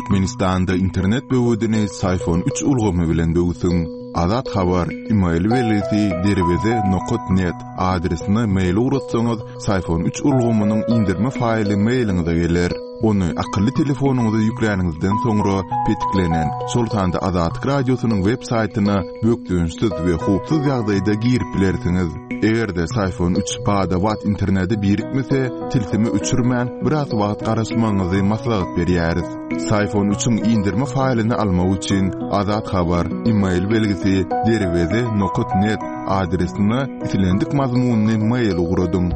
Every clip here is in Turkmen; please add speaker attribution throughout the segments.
Speaker 1: Türkmenistanda internet böwedini Syfon üç ulgamy bilen böwsüň. Azat Habar, email belgisi derweze nokat net adresine mail ugratsaňyz, Syfon üç ulgamynyň indirme faýly mailiňize geler. Ony akylly telefonyňyza ýükläniňizden soňra petiklenen, şol sanda Azatlyk Radiosynyň web saýtyna bökdençsiz we howpsuz ýagdaýda girip bilersiňiz. Eger-de Syfon üç bada-bat internete birikmese, tilsimi öçürmän, biraz wagt garaşmagyňyzy maslahat berýäris. Syfon üçiň indirme faýlyny almak üçin Azat Habar, email belgisi, derweze nokat net adresine islendik mazmunly mail ugradyň.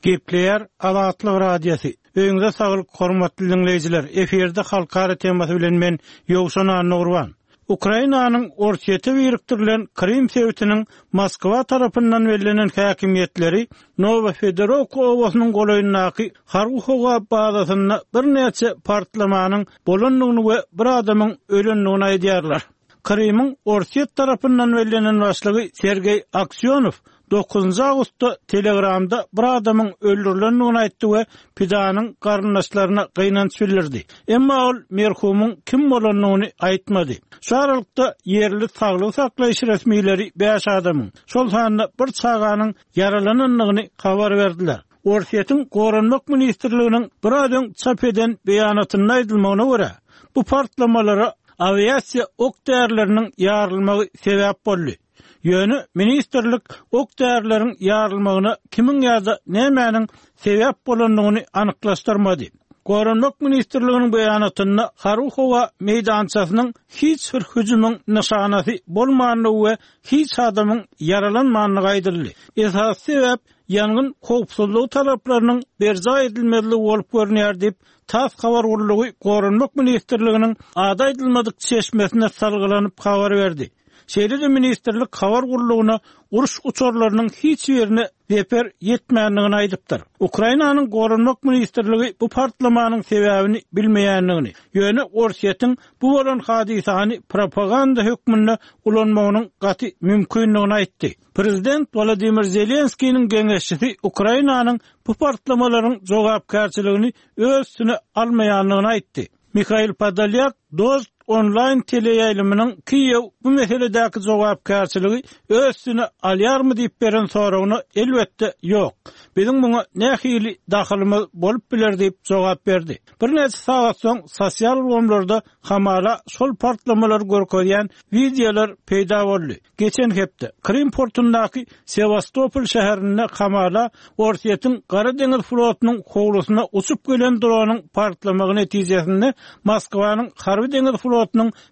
Speaker 2: Gepleýär Azatlyk Radiosy. Öýüňize saglyk hormatly diňleýjiler. Efirde halkara temasy bilen men Ýowşan Annagurban. Ukrainanyň Orsýete birikdirilen Krym sebitiniň Moskwa tarapyndan bellenen häkimiýetleri Nowofedorowka obasynyň golaýyndaky harby-howa bazasynda birnäçe partlamanyň bolandygyny we bir adamyň ölendigini aýdýarlar. Krymyň Orsýet tarapyndan bellenen başlygy Sergeý Aksýonow Dokuzynjy awgustda Telegramda bir adamyň öldürilendigini aýtdy we pidanyň garyndaşlaryna gynanç bildirdi. Emma ol merhumyň kim bolandygyny aýtmady. Şu aralykda, ýerli saglygy saklaýyş resmileri bäş adamyň, şol sanda bir çaganyň ýaralanandygyny habar berdiler. Orsýetiň Goranmak ministrliginiň biraz öň çap eden beýanatynda aýdylmagyna görä, bu partlamalara awiasiýa ok-därileriniň ýarylmagy sebäp boldy. Ýöne ministrlik ok-därileriň ýarylmagyna kimiň ýa-da nämäniň sebäp bolandygyny anyklaşdyrmady. Goranmak ministrliginiň beýanatynda harby-howa meýdançasynyň hiç bir hüjümiň nyşanasy bolmandygy we hiç adamyň ýaralanmandygy aýdyldy. Esasy sebäp ýangyn howpsuzlygy talaplarynyň berjaý edilmezligi bolup görünýär diýip, tass habar gullugy Goranmak ministrliginiň ady aýdylmadyk çeşmesine salgylanyp habar berdi. Şeýle-de ministrlik habar gullugyna uruş uçarlarynyň hiç birine zeper ýetmändigini aýdypdyr. Ukrainanyň Goranmak ministrligi bu partlamanyň sebäbini bilmeýändigini, ýöne Orsýetiň bu bolan hadysany propaganda hökmünde ulanmagynyň gaty mümkindigini aýtdy. Prezident Wolodymyr Zelenskiniň geňeşçisi Ukrainanyň bu partlamalaryň jogapkärçiligini öz üstüne almaýandygyny aýtdy. Mihail Podolýak Dožd onlaýn teleýaýlymynyň Kiýew bu meseledäki jogapkärçiligi öz üstüne alýarmy diýip beren soragyna elbetde ýok. Biziň muňa nähili dahylymyz bolup biler diýip jogap berdi. Birnäçe sagat soň sosial ulgamlarda hamala şol partlamalary görkezýän wideolar peýda boldy. Geçen hepde, Krym portundaky Sewastopol şäherinde hamala Orsýetiň Gara deňiz flotunyň howlusyna uçup gelen dronyň partlamagy netijesinde Moskwanyň harby-deňiz flotunyň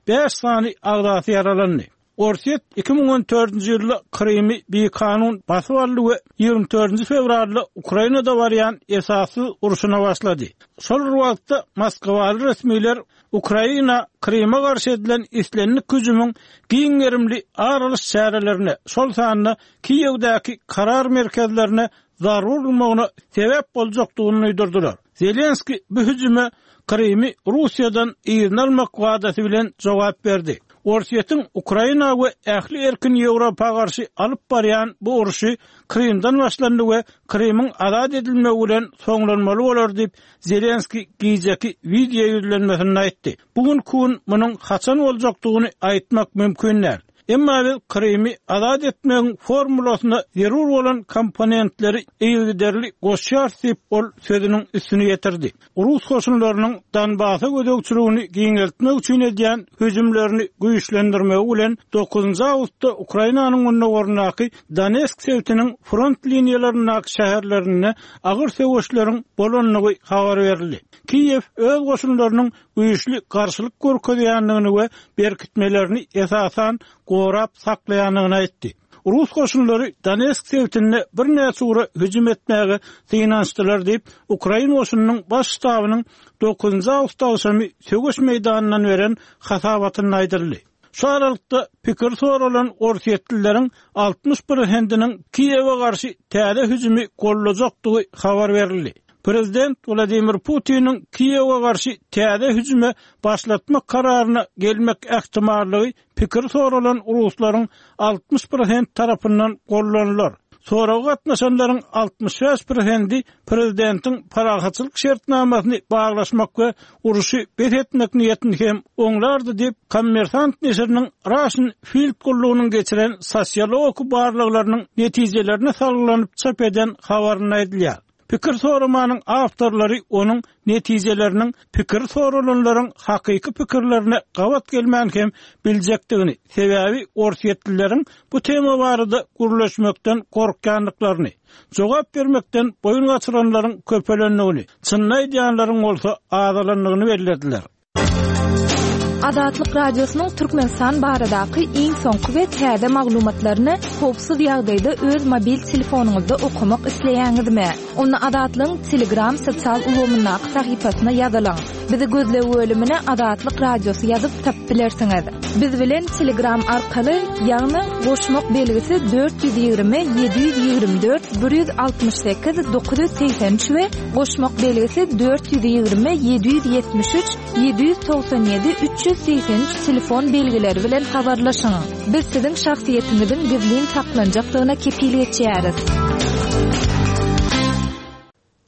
Speaker 2: bäş sany agzasy ýaralandy. Orsýet 2014-nji ýylda Krymy bikanun basyp aldy we 24-nji fewralda Ukrainada barýan esassyz urşuna başlady. Şol bir wagtda, moskwaly resmiler Ukraina Kryma garşy edilen islendik hüjümiň giň gerimli ar alyş çärelerine, şol sanda Kiýewdäki karar merkezlerine zarba urulmagyna sebäp boljakdygyny duýdurdylar. Zelenskiý bu hüjüme Krymy Russiýadan yzyna almak wadasy bilen jogap berdi. Orsýetiň Ukraina we ähli erkin Ýewropa garşy alyp barýan bu urşy Krymdan başlandy we Krymyň azat edilmegi bilen soňlanmaly bolar diýip, Zelenskiý gijeki wideo ýüzlenmesinde aýtdy. Bu günki gün munuň haçan boljakdygyny aýtmak mümkin däl. Emma biz Krymy azat etmegiň formulasyna zerur bolan komponentleri yzygiderli goşýarys diýip, ol sözüniň üstüni ýetirdi. Rus goşunlarynyň Donbasa gözegçiligini giňeltmek üçin edýän hüjümlerini güýçlendirmegi bilen dokuzynjy awgustda Ukrainanyň gündogaryndaky Donetsk sebitiniň front liniýalaryndaky şäherlerinde agyr söweşleriň bolandygy habar berildi. Kiýew öz goşunlarynyň güýçli garşylyk görkezýändigini we berkitmelerini esasan gorap saklaýandygyny aýtdy. Rus goşunlary Donetsk sebitinde birnäçe ugra hüjüm etmäge synanyşdylar diýip, ukrain goşunynyň Baş ştabynyň dokuzynjy awgust agşamy söweş meýdanyndan beren hasabatynda aýdyldy. Şu aralykda, pikiri soralan orsýetlileriň 60 prosentiniň Kiýewe garşy täze hüjümi goldajakdygy habar berildi. Prezident Wladimir Putiniň Kiýewe garşy täze hüjüme başlatmak kararyna gelmek ähtimallygy pikiri soralan ruslaryň 60 prosent tarapyndan goldanylar. Soraga gatnaşanlaryň 65 prosendi prezidentiň parahatçylyk şertnamasyny baglaşmak we urşy bes etmek niýetini hem oňlardy diýip, Kommersant neşiriniň Russian Field gullugynyň geçiren sosiologik barlaglarynyň netijelerine salgylanyp çap eden habarynda aýdylýar. Pikir soramanyň awtorlary onuň netijeleriniň pikir soralanlaryň hakyky pikirlerine gabat gelmän hem biljekdigini, sebäbi orsýetlileriň bu tema barada gürleşmekden gorkýandyklaryny, jogap bermekden boýun gaçyranlaryň köpelendigini, çynyny aýdýanlaryň bolsa azalandygyny bellediler.
Speaker 3: Azatlyk Radiosynyň Türkmenistan baradaky iň soňky we täze maglumatlaryny howpsuz ýagdaýda öz mobil telefonyňyzda okamak isleýäňizmi? Onda Azatlygyň Telegram sosial ulgamyndaky sahypasyna ýazylyň. Bizi gözleg bölümine Azatlyk Radiosy ýazyp tapyp bilersiňiz. Biz bilen Telegram arkaly, ýagny goşmak belgisi 420 724 168 983 we Goşmak belgisi 420 773 797 383 telefon belgileri bilen habarlaşyň. Biz siziň şahsyýetiňiziň gizlin saklanjakdygyna kepil geçýäris.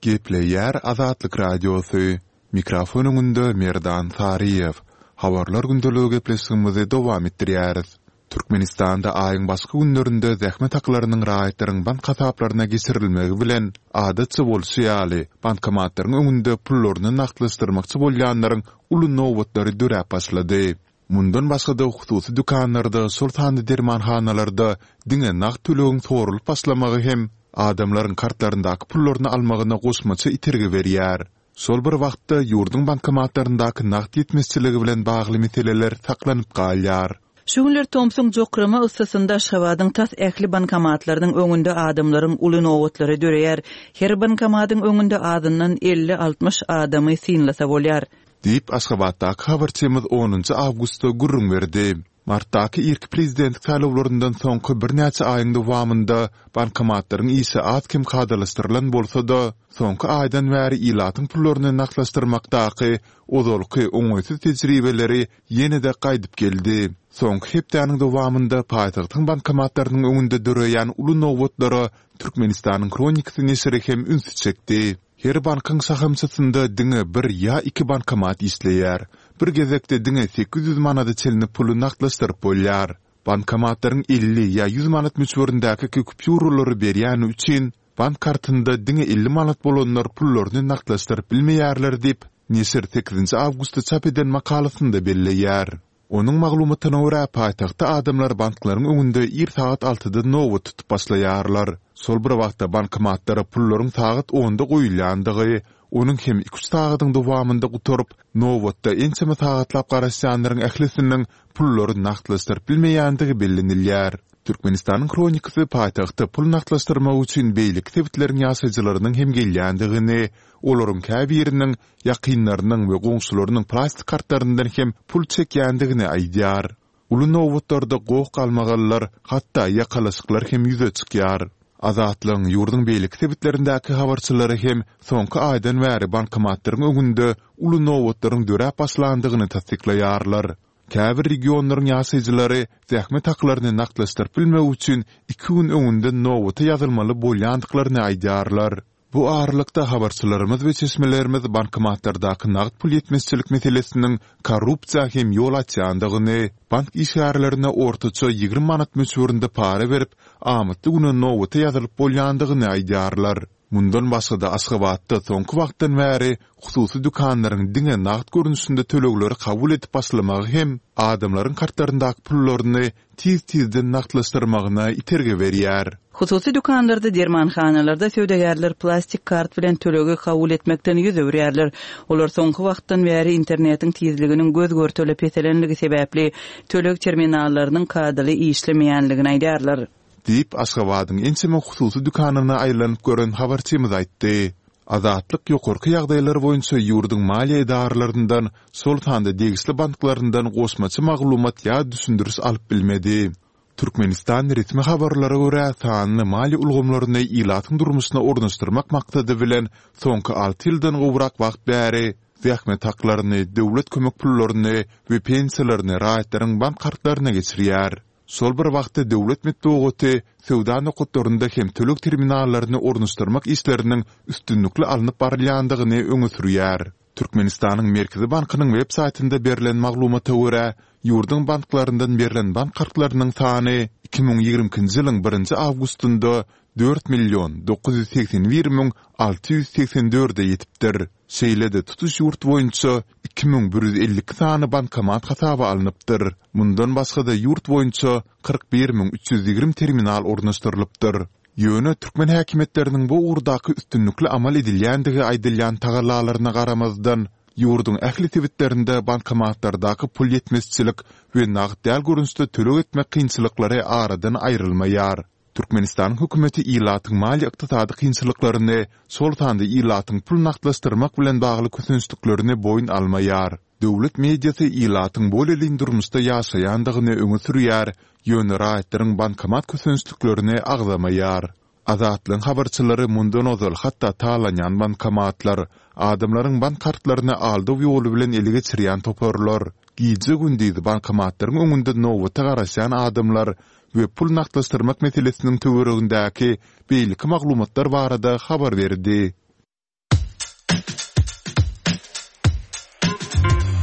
Speaker 1: Gepleýär Azatlyk Radiosy, Mikrofon öňünde Merdan Saryýew. Habarlar gündeligi gepleşigimizi dowam etdirýäris. Türkmenistanda aýyň başky günlerinde zähmet haklarynyň raýatlaryň bank hasaplaryna geçirilmegi bilen, adatça bolşy ýaly, bankomatlaryň öňünde pullaryny nagtlaşdyrmakçy bolýanlaryň uly nobatlary döräp başlady. Mundan başga-da, hususy dükanlarda, şol sanda dermanhanalarda diňe nagt tölegiň soralyp başlamagy hem adamlaryň kartlaryndaky pullaryny almagyna goşmaça itergi berýär. Şol bir wagtda, ýurduň bankomatlaryndaky nagt ýetmezçiligi bilen bagly meseleler saklanyp galýar.
Speaker 4: Şu günler tomsuň jokrama yssysynda Aşgabadyň tas ähli bankomatlarynyň öňünde adamlaryň uly nobatlary döreýär. Her bankomatyň öňünde azyndan elli-altmyş adamy synlasa bolýar.
Speaker 1: Diýip, Aşgabatdaky habarçymyz onunjy awgustda gürrüň berdi. Martdaky irki prezidentlik saýlawlaryndan soňky birnäçe aýyň dowamynda bankomatlaryň işi az-kem kadalaşdyrylan bolsa-da, soňky aýdan bäri ilatyň pullaryny nagtlaşdyrmakdaky ozalky oňaýsyz tejribeleri ýene-de gaýdyp geldi. Soňky hepdäniň dowamynda paýtagtyň bankomatlarynyň öňünde döreýän uly nobatlara Türkmenistanyň Hronikasy neşiri hem ünsi çekdi. Her bankyň şahamçasynda diňe bir ýa iki bankomat işleýär. Bir gezekde diňe 800 manada çenli puly nagtlaşdyryp bolýar. Bankomatlaryň 50 ýa 100 manat möçberindäki kupýuralary berýäni üçin, bank kartynda diňe 50 manat bolanlar pullaryny nagtlaşdyryp bilmeýärler diýip, neşir sekizinji awgustda çap eden makalasynda belleýär. Onuň maglumatyna görä, paýtagtda adamlar banklaryň öňünde ir sagat altyda nobat tutup başlaýarlar. Şol bir wagtda bankomatlara pullaryň sagat onda goýulýandygy, onuň hem iki-üç sagadyň dowamynda gutaryp, nobatda ençeme sagatlap garaşýanlaryň ählisiniň pullary nagtlaşdyryp bilmeýändigi bellenilýär. Türkmenistanyň Hronikasy paýtagtda pul nagtlaşdyrmak üçin beýleki sebitleriň ýaşaýjylarynyň hem gelýändigini, olaryň käbiriniň ýakynlarynyň we goňşularynyň plastik kartlaryndan hem pul çekýändigini aýdýar. Uly nobatlarda goh-galmagallar, hatda ýakalaşyklar hem ýüze çykýar. Azatlygyň ýurduň beýleki sebitlerindäki habarçylary hem soňky aýdan bäri bankomatlaryň öňünde uly nobatlaryň döräp başlandygyny tassyklaýarlar. Käbir regionlaryň ýaşaýjylary zähmet haklaryny nagtlaşdyryp bilmek üçin iki gün öňünden nobata ýazylmaly bolýandyklaryny aýdýarlar. Bu aralykda, habarçylarymyz we çeşmelerimiz bankomatlardaky nagt pul ýetmezçilik meselesiniň korrupsiýa hem ýol açýandygyny, bank işgärlerine ortaça 20 manat möçberinde para berip, amatly güne nobata ýazylyp bolýandygyny aýdýarlar. Mundan başga-da, Aşgabatda soňky wagtdan bäri hususy dükanlaryň diňe nagt görnüşinde tölegleri kabul edip başlamagy hem adamlaryň kartlaryndaky pullaryny tiz-tizden nagtlaşdyrmagyna itergi berýär.
Speaker 4: Hususy dükanlarda, dermanhanalarda söwdagärler plastik kart bilen tölegi kabul etmekden ýüz öwürýärler. Olar soňky wagtdan bäri internetiň tizliginiň göz-görtele peselenligi sebäpli töleg terminallarynyň kadaly işlemeýänligini aýdýarlar.
Speaker 1: Diýip, Aşgabadyň ençeme hususy dükanyna aýlanyp gören habarçymyz aýtdy. Azatlyk ýokarky ýagdaýlar boýunça ýurduň maliýe edaralaryndan, şol sanda degişli banklaryndan goşmaça maglumat ýa düşündiriş alyp bilmedi. Türkmenistan resmi habarlara görä, sanly maliýe ulgamlaryny ilatyň durmuşyna ornaşdyrmak maksady bilen soňky alty ýyldan gowrak wagt bäri zähmet haklaryny, döwlet kömek pullaryny we pensiýalaryny raýatlaryň bank kartlaryna geçirýär. Şol bir wagtda döwlet metbugaty söwda nokatlarynda hem töleg terminallaryny ornaşdyrmak işleriniň üstünlikli alnyp barylýandygyny öňe sürýär. Türkmenistanyň Merkezi bankynyň web saýtynda berlen maglumata görä, ýurduň banklaryndan berlen bank kartlarynyň sany 2022-nji ýylyň birinji awgustynda 4 million 981 müň 684-e ýetipdir. Şeýle-de, tutuş ýurt boýunça 2152 sany bankomat hasaba alnypdyr. Mundan başga-da, ýurt boýunça 41 müň 320 terminal ornaşdyrylypdyr. Ýöne türkmen häkimiýetleriniň bu ugurdaky üstünlikli amal edilýändigi aýdylýan tagallalaryna garamazdan, ýurduň ähli sebitlerinde bankomatlardaky pul ýetmezçilik we nagt däl görnüşde töleg etmek kynçylyklary aradan aýrylmaýar. Türkmenistanyň hökümeti ilatyň maliýe-ykdysady kynçylyklaryny, şol sanda ilatyň pul nagtlaşdyrmak bilen bagly kösençliklerini boýun almaýar. Döwlet mediasy ilatyň bolelin durmuşda ýaşaýandygyny öňe sürýär, ýöne raýatlaryň bankomat kösençliklerini agzamaýar. Azatlygyň habarçylary mundan ozal hatda talanýan bankomatlar, adamlaryň bank kartlaryny aldaw ýoly bilen ele geçirýän toparlar, gije-gündiz bankomatlaryň öňünde nobata garaşýan adamlar we pul nagtlaşdyrmak meselesiniň töweregindäki beýleki maglumatlar barada habar berdi.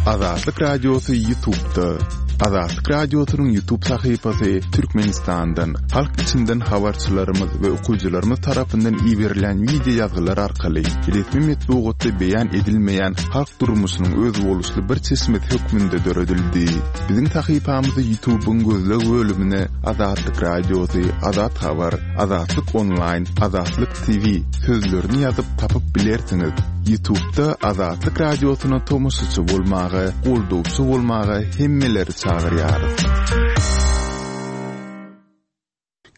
Speaker 1: Azatlyk Radiosy YouTube'da. Azatlyk Radiosynyň YouTube sahypasy Türkmenistandan, halk içinden habarçylarymyz we okyjylarymyz tarapyndan iberilýän wideo ýazgylar arkaly resmi metbugatda beýan edilmeýän halk durmuşynyň özboluşly bir çeşmesi hökmünde döredildi. Biziň sahypamyzy YouTube'yň gözleg bölümine Azatlyk Radiosy, Azat Habar, Azatlyk Onlaýn, Azatlyk TV sözlerini ýazyp tapyp bilersiňiz. Ýutubda Azatlyk Radiosyna tomaşaçy bolmaga, goldawçy bolmaga hemmeleri çagyrýarys.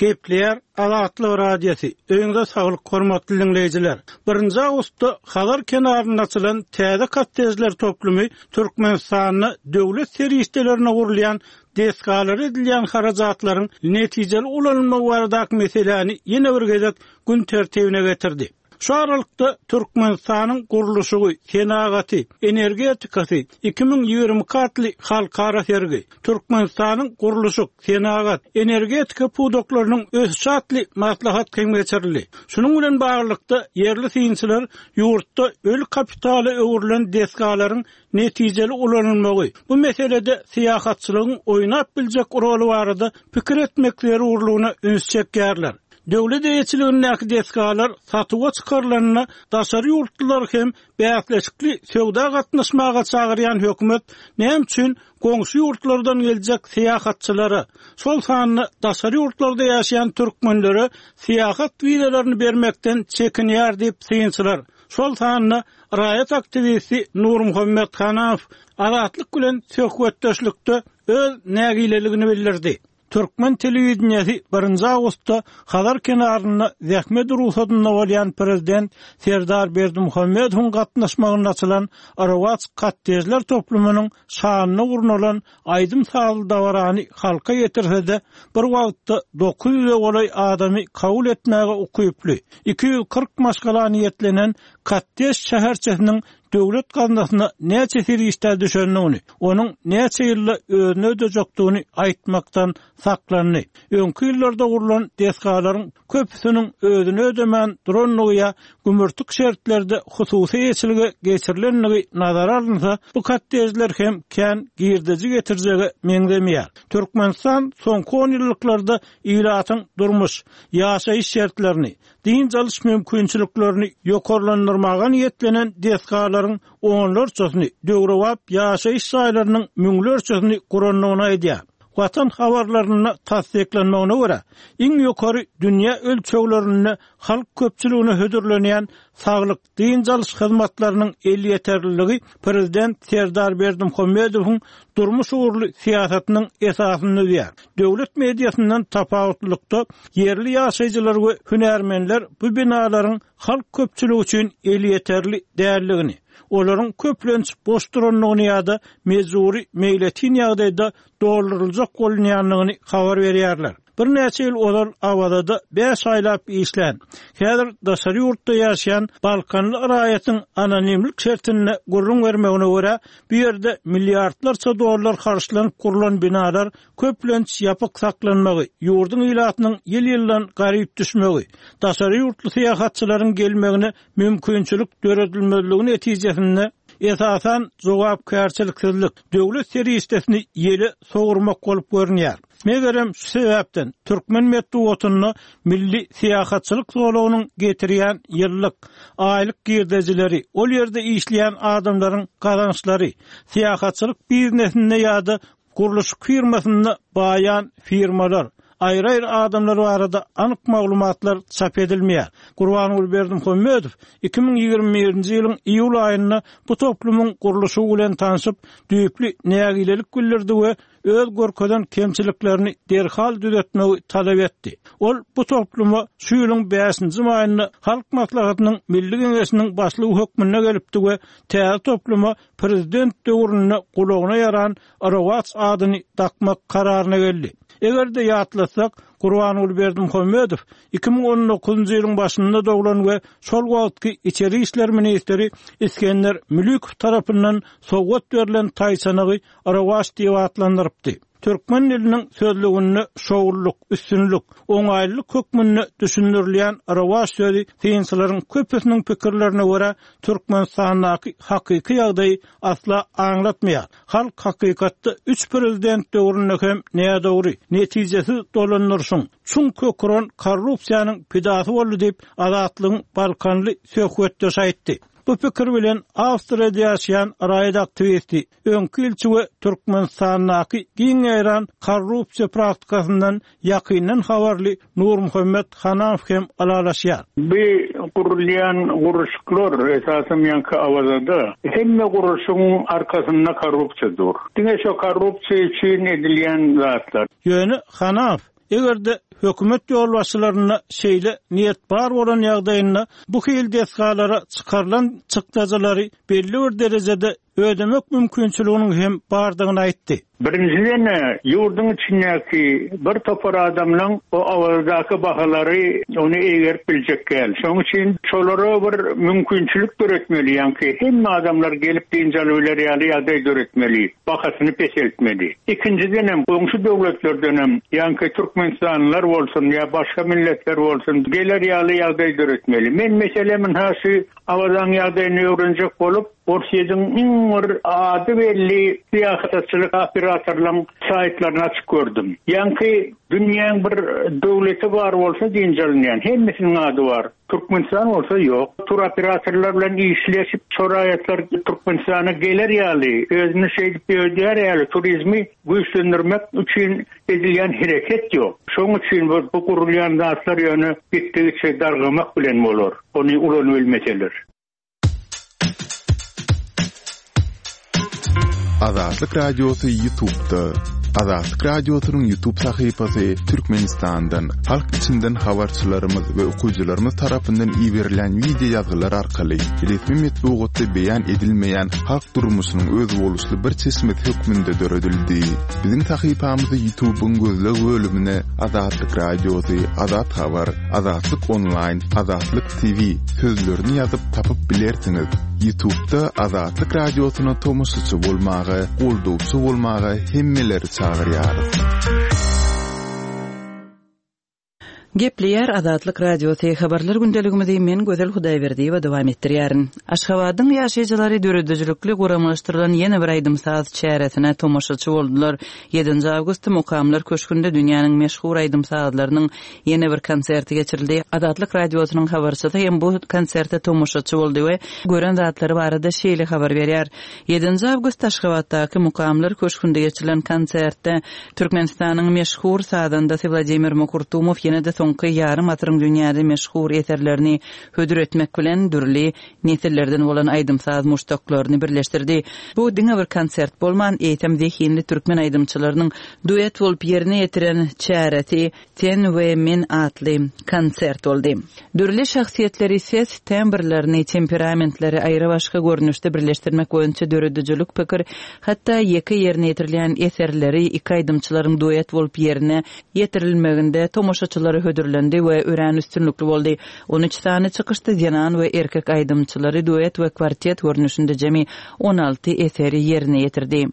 Speaker 2: Gepleýär Azatlyk Radiosy, Öýüňize saglyk hormatly diňleýjiler! Birinji awgustda Hazar kenarynda açylan täze kottejler toplumy Türkmenistanda döwlet serişdelerine gurulýan desgalara edilýän harajatlaryň netijeli ulanylmagy baradaky meseläni ýene bir gezek gün tertibine getirdi. Şu aralykda, Türkmenistanyň gurluşygy, senagaty, energetikasy 2022 atly halkara sergi, Türkmenistanyň gurluşyk, senagat, energetika pudaklarynyň ösüşi atly maslahat hem geçirildi. Şunuň bilen baglylykda, ýerli synçylar ýurtda öli kapitala öwrülen desgalaryň netijeli ulanylmagy, bu meselede syýahatçylygyň oýnap biljek roly barada pikir etmek zerurlygyna üns çekýärler. Döwlet eýeçiligindäki desgalar satuwa çykarylanda daşary ýurtlulary hem bäsleşikli söwda gatnaşmaga çagyrýan hökümet näme üçin goňşy ýurtlardan geljek syýahatçylara, şol sanda daşary ýurtlarda ýaşaýan türkmenlere syýahat wizalaryny bermekden çekinýär diýip synçylar şol sanda raýat aktiwisti Nurmuhammet Hanamow Azatlyk bilen söhbetdeşlikde öz nägileligini bildirdi. Türkmen telewideniýesi birinji awgustda Hazar kenarynda zähmet rugsadynda bolýan prezident Serdar Berdimuhamedowyň gatnaşmagynda açylan Rowaç kottejler toplumynyň şanyna gurnalan aýdym-sazly dabarany halka ýetirse-de, bir wagtda 900-e golaý adamy kabul etmäge ukyply, 240 maşgala niýetlenen kottej şäherçesiniň döwlet gaznasyna näçe serişdä düşendigini, onuň näçe ýylda özüni ödejekdigini aýtmakdan saklandy. Öňki ýyllarda gurlan desgalaryň köpüsiniň özüni ödemän durandygy ýa gümürtik şertlerde hususy eýeçilige geçirilendigi nazara alynsa, bu kottejler hem kän girdeji getirjege meňzemeýär. Türkmenistan soňky onýyllyklarda ilatyň durmuş, ýaşaýyş şertlerini, dynç alyş mümkinçiliklerini ýokarlandyrmaga niýetlenen desgalaryň onlarçasyny, döwrebap ýaşaýyş jaýlarynyň müňlerçesini gurandygyny aýdýar. Watan habarlarynda tassyklanmagyna görä, iň ýokary dünýä ölçeglerinde halk köpçüligine hödürlenýän saglyk, dynç alyş hyzmatlarynyň elýeterliligi prezident Serdar Berdimuhamedowyň durmuş ugurly syýasatynyň esasyny düzýär. Döwlet mediasyndan tapawutlylykda, ýerli ýaşaýjylar we hünärmenler bu binalaryň halk köpçüligi üçin elýeterli däldigini, olaryň köplenç boş durandygyny ýa-da mejbury meýletin ýagdaýda dolduryljak bolunýandygyny habar berýärler. Birnäçe ýyl ozal Awazada bäş aýlap işlän, häzir daşary ýurtda ýaşaýan balkanly raýatyň anonimlik şertinde gürrüň bermegine görä, bu ýerde milliardlarça dollar harçlanyp gurlan binalar köplenç ýapyk saklanmagy, ýurduň ilatynyň ýyl-ýyldan garyp düşmegi, daşary ýurtly syýahatçylaryň gelmegine mümkinçilik döredilmezligi netijesinde, esasan, jogapkärçiliksizlik, döwlet serişdesini ýele sowurmak bolup görünýär. Megerem, şu sebäpden, türkmen metbugatynda milli syýahatçylyk zolagynyň getirýän ýyllyk, aýlyk girdejileri, ol ýerde işleýän adamlaryň gazançlary, syýahatçylyk biznesinde ýa-da Gurluşyk firmasynda baýan firmalar, aýry-aýry adamlar barada anyk maglumatlar çap edilmeýär. Gurbanguly Berdimuhamedow 2021-nji ýylyň iýul aýynda bu toplumyň gurluşygy bilen tanşyp, düýpli nägilelik bildirdi we öz görkezen kemçiliklerini derhal düzetmegi talap etdi. Ol bu topluma şu ýylyň bäşinji maýynda Halk Maslahatynyň Milli Geňeşiniň başlygy hökmünde gelipdi we täze topluma prezident döwründe gulagyna ýaran Rowaç adyny dakmak kararyna geldi. Eger-de ýatlasak, Gurbanguly Berdimuhamedow 2019-njy ýylyň başynda doglan we şol wagtky içeri işler ministri Isgender Mülükow tarapyndan sowgat berlen taýçanagy Rowaç diýip atlandyrypdy. Türkmen diliniň sözlüginde şowlulyk, üstünlik, oňaýlylyk hökmünde düşündirilýän rowaç sözi synçylaryň köpüsiniň pikirlerine görä, Türkmenistandaky hakyky ýagdaýy asla aňlatmaýar. Halk hakykatda üç prezident döwründe hem nädogry, netijesiz dolandyryşyň, çuň kök uran korrupsiýanyň pidasy boldy diýip, Azatlygyň balkanly söhbetdeşi aýtdy. Bu pikir bilen Awstriýada ýaşaýan raýat aktiwisti, öňki ilçi we Türkmenistandaky giň ýaýran korrupsiýa praktikasyndan ýakyndan habarly Nurmuhammet Hanamow hem ylalaşýar.
Speaker 5: Bu gurulýan gurluşyklar, esasan ýaňky Awazada, hemme gurluşygyň arkasynda korrupsiýa dur. Diňe şo korrupsiýa üçin edilýän zatlar.
Speaker 2: Ýöne Hanamow Eger-de hökümet ýolbaşçylarynda şeýle niýet bar bolan ýagdaýynda bu hili desgalara çykarylan çykdajylary belli bir derejede ödemek mümkinçiliginiň hem bardygyny aýtdy.
Speaker 5: Birinjiden-ä, ýurduň içindäki bir topar adamlaň o Awazadaky bahalary ony eýgerip biljek däl. Şonuň üçin şolara bir mümkinçilik döretmeli, ýaňky hemme adamlar gelip dynç alybiler ýaly ýagdaý döretmeli, bahasyny peseltmeli. Ikinjidenem, goňşy döwletlerdenem, ýaňky türkmenistanlylar bolsun ýa başga milletler bolsun, geler ýaly ýagdaý döretmeli. Men, meselem, ynha şu Awazaň ýagdaýyny öwrenjek bolup, Orsýetiň iň bir ady belli syýahatçylyk operatorlaryň saýtlaryny açyp gördüm. Ýaňky dünýäň bir döwleti bar bolsa dynç alynýan, hemmesiniň ady bar. Türkmenistan bolsa ýok. Turoperatorlar bilen işleşip, şo raýatlar Türkmenistana geler ýaly, özüni şeýdip ödär ýaly turizmi güýçlendirmek üçin edilýän hereket ýok. Şoň üçin bu bu gurulýan zatlar ýöne gitdigiçe dargamak bilen bolar, ony ulanybilmeseler.
Speaker 1: Azatlyk Radiosy Ýutubda. Azatlyk Radiosynyň Ýutub sahypasy Türkmenistandan, halk içinden habarçylarymyz we okyjylarymyz tarapyndan iberilen wideo ýazgylar arkaly resmi metbugatda beýan edilmeýän halk durmuşynyň özboluşly bir çeşmesi hökmünde döredildi. Biziň sahypamyzy Ýutubyň gözleg bölümine Azatlyk Radiosy, Azat Habar, Azatlyk Onlaýn, Azatlyk TV sözlerini ýazyp tapyp bilersiňiz. Ýutubda Azatlyk Radiosyna tomaşaçy bolmaga, goldawçy bolmaga hemmeleri çagyrýarys.
Speaker 4: Gepleýär Azatlyk Radiosy, Habarlar gündeligimizi men Gözel Hudaýberdiýewa dowam etdirýärin. Aşgabadyň ýaşaýjylary döredijilikli guramalaşdyrylan ýene bir aýdym-saz çäresine tomaşaçy boldular. Ýedinji awgustda Mukamlar köşgünde dünýäniň meşhur aýdym-sazlarynyň ýene bir konserti geçirildi. Azatlyk Radiosynyň habarçysy hem bu konserte tomaşaçy boldy we gören zatlary barada şeýle habar berýär, Ýedinji awgustda Aşgabatdaky Mukamlar köşgünde geçirilen konsertde Türkmenistanyň meşhur sazandasy Wladimir Mukurtumow ýene-de. soňky ýarym asyryň dünýäde meşhur eserlerini hödür etmek bilen dürli nesillerden bolan aýdym-saz muşdaklaryny birleşdirdi. Bu diňe bir konsert bolman, eýsem zehinli türkmen aýdymçylarynyň duet bolup ýerine ýetiren çäresi Sen we men atly konsert boldy. Dürli şahsyýetleri, ses tembrlerini, temperamentleri aýrabaşga görnüşde birleşdirmek boýunça döredijilik pikir, hatda ýeke ýerine ýetirilýän eserleri iki aýdymçylaryň duet bolup ýerine ýetirilmeginde tomaşaçylara hödürlendi we örän üstünlikli boldy. On üç sany çykyşda zenan we erkek aýdymçylary duet we kwartet görnüşinde jemi 16 eseri ýerine ýetirdi.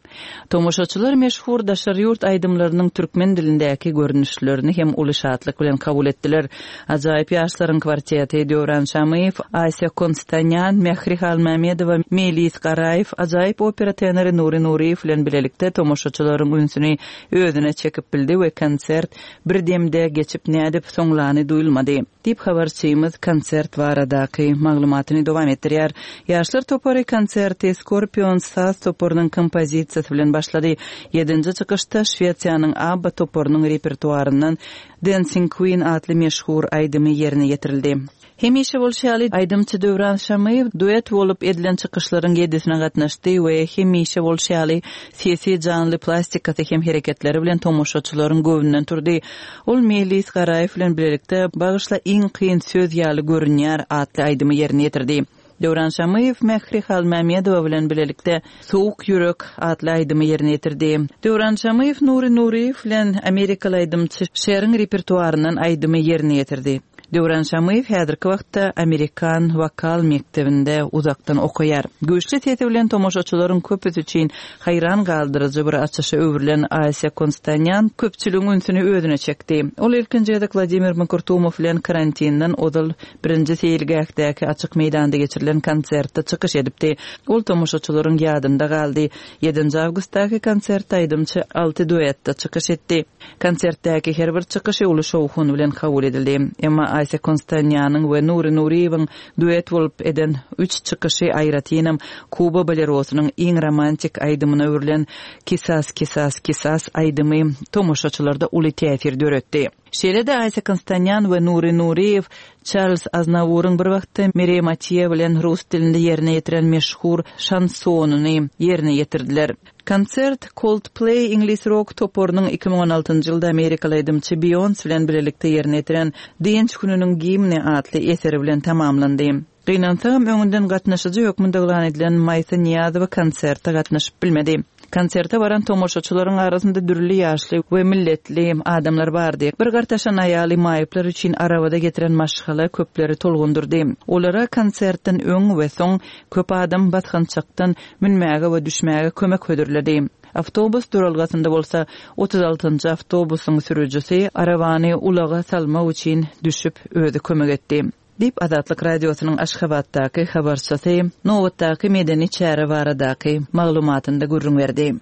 Speaker 4: Tomaşaçylar meşhur daşary ýurt aýdymlarynyň türkmen dilindäki görnüşlerini hem uly şatlyk bilen kabul etdiler. Ajaýyp ýaşlaryň kwarteti, Döwran Şamyýew, Asýa Konstanýan, Mähri Halmämmedowa, Meýlis Garaýew, ajaýyp opera tenory Nury Nuryýew bilen bilelikde tomaşaçylaryň ünsüni özüne çekip bildi we konsert bir demde geçip nädip soňlany duýulmady. Diýip, habarçymyz konsert baradaky maglumatyny dowam etdirýär. Ýaşlar topary konserti Scorpions saz toparynyň kompozisiýasy bilen başlady. Ýedinji çykyşda Şwesiýanyň ABBA toparynyň repertuaryndan Dancing Queen atly meşhur aýdymy ýerine ýetirildi. Hemişe bolşy ýaly, aýdymçy Döwran Şamyýew duet bolup edilen çykyşlaryň ýedisine gatnaşdy we hemişe bolşy ýaly, sesi, janly plastikasy hem hereketleri bilen tomaşaçylaryň göwnünden turdy. Ol Meýlis Garaýew bilen bilelikde Bagyşla iň kyn söz ýaly görünýär atly aýdymy ýerine ýetirdi. Döwran Şamyýew Mähri Halmämmedowa bilen bilelikde Sowuk ýürek atly aýdymy ýerine ýetirdi. Döwran Şamyýew Nury Nuryýew bilen amerikaly aýdymçy Şeriň repertuaryndan aýdymy ýerine ýetirdi. Döwran Şamyýew häzirki wagtda amerikan wokal mekdebinde uzakdan okaýar. Güýçli sesi bilen tomaşaçylaryň köpüsi üçin haýran galdyryjy bir açyşa öwrülen Asýa Konstanýan köpçüligiň ünsüni özüne çekdi. Ol ilkinji gezek Wladimir Mkrtumow bilen karantinden ozal birinji seýilgähdäki açyk meýdanda geçirilen konsertde çykyş edipdi. Ol tomaşaçylaryň ýadynda galdy. Ýedinji awgustdaky konsertde aýdymçy alty duetde çykyş etdi. Konsertdäki her bir çykyşy uly şowhun bilen kabul edildi. Emma Asýa Konstanýanyň we Nury Nuryýewiň duet bolup eden üç çykyşy aýratynam Kuba bolerosynyň iň romantik aýdymyna öwrülen Kisas, kisas, kisas aýdymy tomaşaçylarda uly täsir döretdi. Şeýle-de Aýsä Konstanýan we Nury Nuryýew Çarlz Aznawuryň bir wagtda Mireý Matýe bilen rus dilinde ýerine ýetiren meşhur şansonyny ýerine ýetirdiler. Konsert Coldplay iňlis rok toparynyň 2016-njy ýylda amerikaly aýdymçy Beýonse bilen bilelikde ýerine ýetiren Dynç gününiň gimni atly eseri bilen tamamlandy. Gynansagam, öňünden gatnaşyjy hökmünde yglan edilen Maýsa Nyýazowa konserte gatnaşyp bilmedi. Konserte baran tomaşaçylaryň arasynda dürli ýaşly we milletli adamlar bardy. Bir gartaşan aýaly maýyplar üçin arabada getiren maşgala köpleri tolgundyrdy. Olara konsertden öň we soň köp adam basgançakdan münmäge we düşmäge kömek hödürledi. Awtobus duralgasynda bolsa 36-njy awtobusyň sürüjisi arabany ulaga salmak üçin düşüp, özi kömek etdi. Diýip, Azatlyk Radiosynyň Aşgabatdaky habarçysy nobatdaky medeni çäre baradaky maglumatynda gürrüň berdi.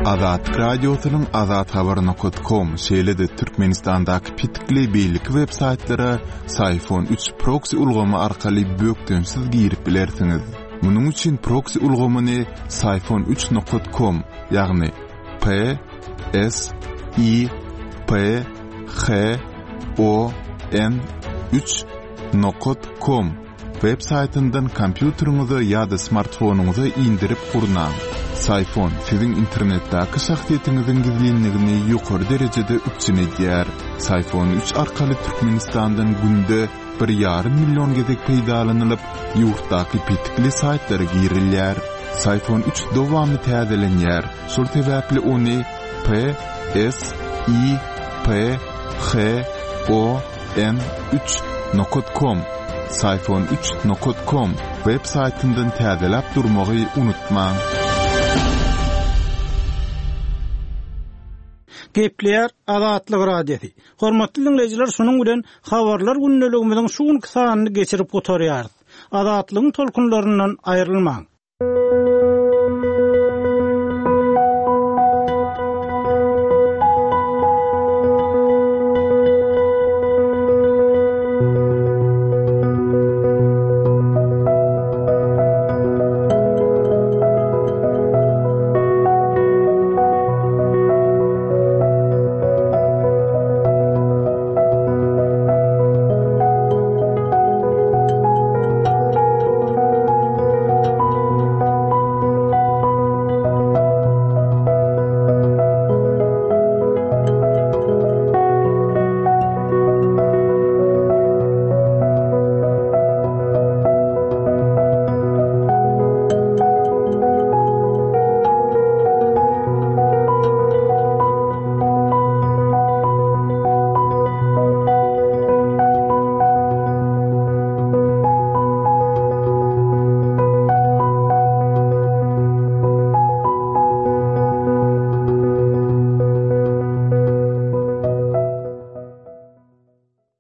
Speaker 1: Azatlyk Radiosynyň azathabar nokat kom, şeýle-de Türkmenistandaky petikli beýleki web saýtlara Syfon üç proksi ulgamy arkaly bökdençsiz girip bilersiňiz. Munuň üçin proksi ulgamyny Syfon üç nokat kom, ýagny P S I P H O N üç nokat kom web saýtyndan kompýuteriňize ýa-da smartfonyňyza indirip gurnaň. Syfon siziň internetdäki şahsyýetiňiziň gizlinligini ýokary derejede üpjün edýär. Syfon üç arkaly Türkmenistandan günde bir ýarym million gezek peýdalanylyp, ýurtdaky petikli saýtlara girilýär. Syfon üç dowamly täzelenýär, şol sebäpli ony P S I P H O N üç nokat kom, Syfon üç nokat kom, web saýtyndan täzeläp durmagy unutmaň.
Speaker 2: Gepleýär Azatlyk Radiosy. Hormatly diňleýjiler şunuň bilen Habarlar gündeligimiziň şu günki sanyny geçirip gutarýarys. Azatlygyň tolkunlaryndan aýrylmaň.